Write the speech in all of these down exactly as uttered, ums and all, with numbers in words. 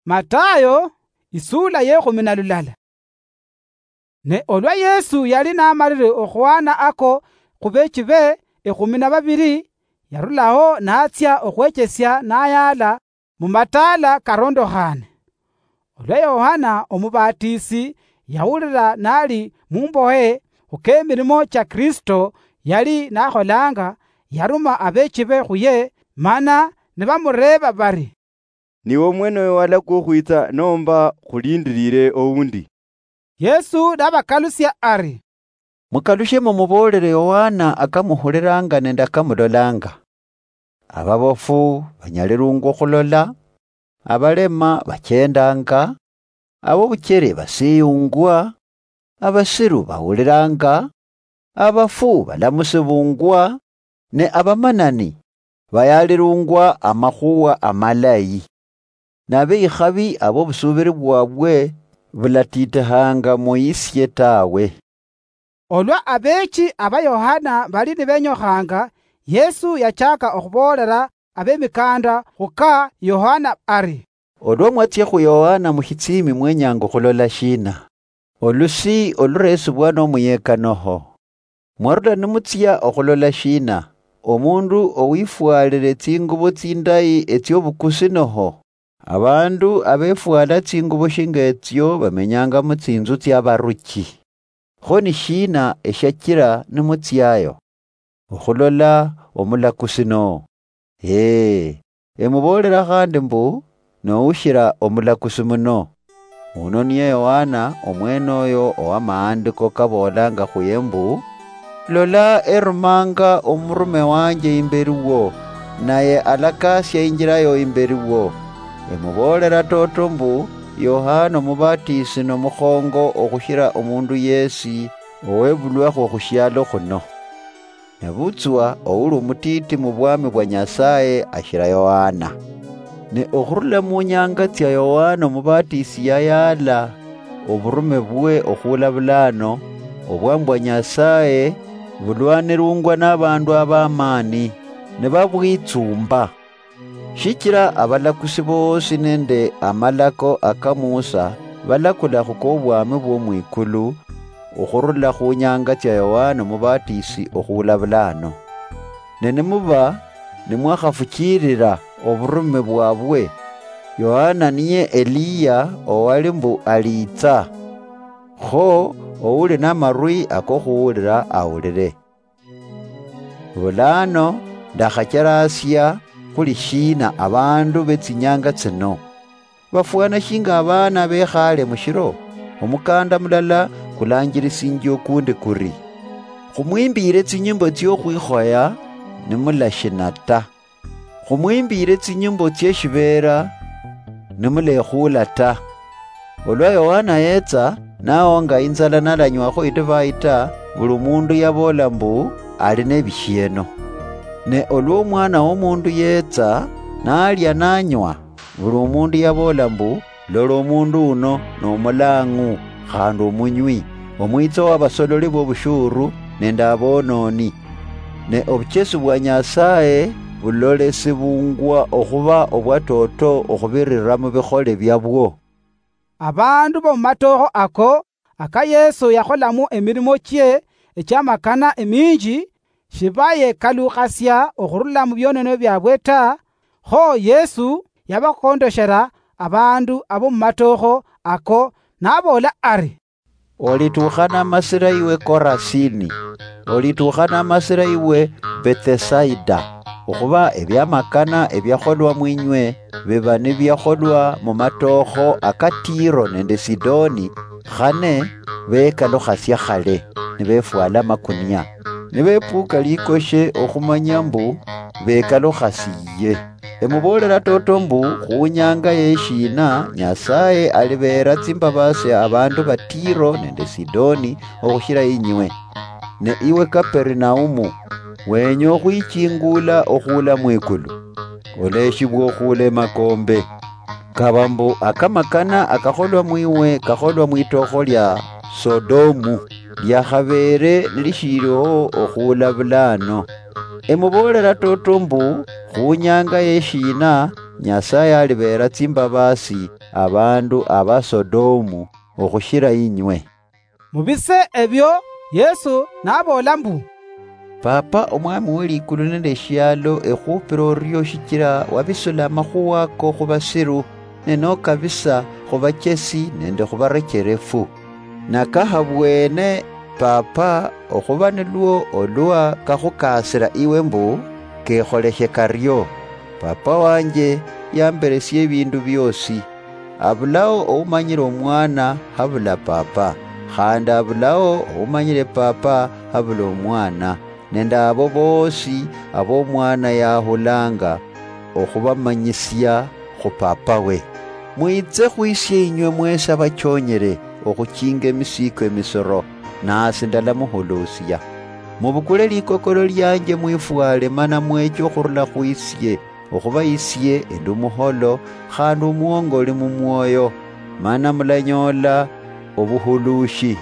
Matayo, isula yekhumi na lulala. Ne olwa Yesu yali namalire okhwana ako khubechibe ekhumi na babiri, yarulaho natsia okhwechesia nayala mumataala karondokhane. Olwa Yohana Omubatisi yawulira nali mumbohe khukemilimo cha Kristo yali nakholanga, yaruma abechibe khuye, mana nibamureeba bari, "Niwe omwene oyo walakwa okhwitsa, nomba khulindirire oundi?" Yesu nabakalusia ari, "Mukalushe mumuboolere Yohana akamuhuliranga nende akamulolanga. Ababofu banyalirungwa okhulola, abalema bachendanga, abobuchere basiyungwa, abasiru bawuliranga, abafu balamusibungwa, ne abamanani bayalirungwa amakhuwa amalayi. Nabekhabi abo obusubiri bwabwe bulatitihanga muyisie tawe." Olwa abeechi aba Yohana bali nibenyokhanga, Yesu yachaka okhuboolera abemikanda khuka Yohana ari, "Olwa mwatsia khu Yohana mushitsimi mwenyanga okhulola shina? Olusi oluresibwa nomuyeka noho? Mwarula nimutsia okhulola shina? Omundu owifwalire tsingubo tsindayi etsiobukusi noho? Abandu abefwala tsingubo shinga etsio bamenyanga mutsinzu tsiabaruchi. Kho ni shina eshiachira nimutsiayo? Okhulola omulakusi no? Ee, emuboolera khandi mbu, noushira omulakusi muno. Uno niye Yohana omwene oyo owamaandiko kaboolanga khuye mbu, 'Lola, erumanga omurume wanje imberi wo, naye alakasia injira yo imberi wo.' Emuboolera toto mbu, Yohana Omubatisi nomukhongo okhushira omundu yesi owebulwakhwo khushialo khuno. Nebutswa ouli omutiti mubwami bwa Nyasaye ashira Yohana. Ne okhurula munyanga tsia Yohana Omubatisi yayaala oburume bwe okhula bulano, obwami bwa Nyasaye bulwanirungwa nabandu abamani, nibabwitsumba. Shichira abalakusi boosi nende amalako aka Musa balakula khukobwami bwo mwikulu, okhurula khunyanga tsia Yohana Omubatisi okhula bulano. Ne nimuba nimwakhafuchilila oburume bwabwe, Yohana niye Eliya owali mbu aliitsa. Kho ouli namarwi akokhuwulila awulile. Bulano ndakhacherasia khuli shina abandu betsinyanga tsino? Bafwana shinga abaana bekhale mushiro, omukanda mulala kulanjirisinjia okundi kuri, 'Khumwimbiire tsinyimbo tsiokhwikhoya nimulashina ta. Khumwimbiire tsinyimbo tsieshibeera nimulekhuula ta.' Olwa Yohana yetsa, nawonga inzala nalanywakho idivai ta, buli omundu yaboola mbu, 'Ali nebishieno.' Ne olwa Omwana wOmundu yetsa, nalia nanywa, buli omundu yaboola mbu, 'Lola omundu uno nomulang'u khandi omunywi, omwitsa wabasololi bobushuru nende abononi.' Ne obuchesi bwa Nyasaye bulolesibungwa okhuba obwatoto okhubirira mubikhole biabwo. Abandu bomumatookho ako, aka Yesu yakholamo emilimo chie echiamakana eminji, shibayekalukhasia okhurula mubioneno biabwe ta, kho Yesu yabakondoshera abandu abomumatookho ako, naboola ari, "Olitukhana amasira iwe Korasini, olitukhana amasira iwe Betsesaida, okhuba ebiamakana ebiakholwa mwinywe biba nibiakholwa mumatookho aka Tiro nende Sidoni, khane bekalukhasia khale, nibefwala amakunia, nibepuka likoshe okhumanya mbu bekalukhasiye. Emuboolera toto mbu, khunyanga yeshina Nyasaye alibeera tsimbabasi abandu ba Tiro nende Sidoni okhushira inywe. Ne iwe Kaperinaumu, wenya okhwichingula okhuula mwikulu? Oleshibwa okhuula emakombe. Kaba mbu akamakana akakholwa mwiwe kakholwa mwitokho lia Sodomu, liakhabeere nilishiliho okhuula bulano. Emuboolera toto mbu, khunyanga yeshina Nyasaye alibeera tsimbabasi abandu aba Sodomu okhushira inywe. Mu bise ebyo, Yesu naboola mbu, Papa Omwami we likulu nende eshialo ekhupira orio shichira wabisula amakhuwa ako khubasiru, ne nokabisa khubachesi nende khubarecherefu. Nakahabwene, Papa, okhuba nilwo olwa kakhukasira iwe mbu, kekholeshe kario. Papa wanje yamberesia ebindu biosi. Abulao oumanyire Omwana habula Papa, khandi abulao oumanyire Papa habula Omwana, nende abo boosi abo Omwana yahulanga okhubamanyisia khu Papawe. Mwitse khwisie inywe mwesi abachonyere okhuchinga emisiiko emisoro, nasi ndalamuhulusia. Mubukule likokolo lianje mwifwale mana mweche okhurula khwisie, okhuba isie endi omuholo khandi omwongoli mumwoyo, mana mulanyoola obuhulushi,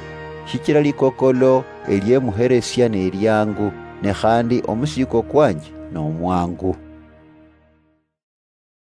shichila likokolo eliemuheresia neliangu, ne khandi omusiiko kwanje nomwangu.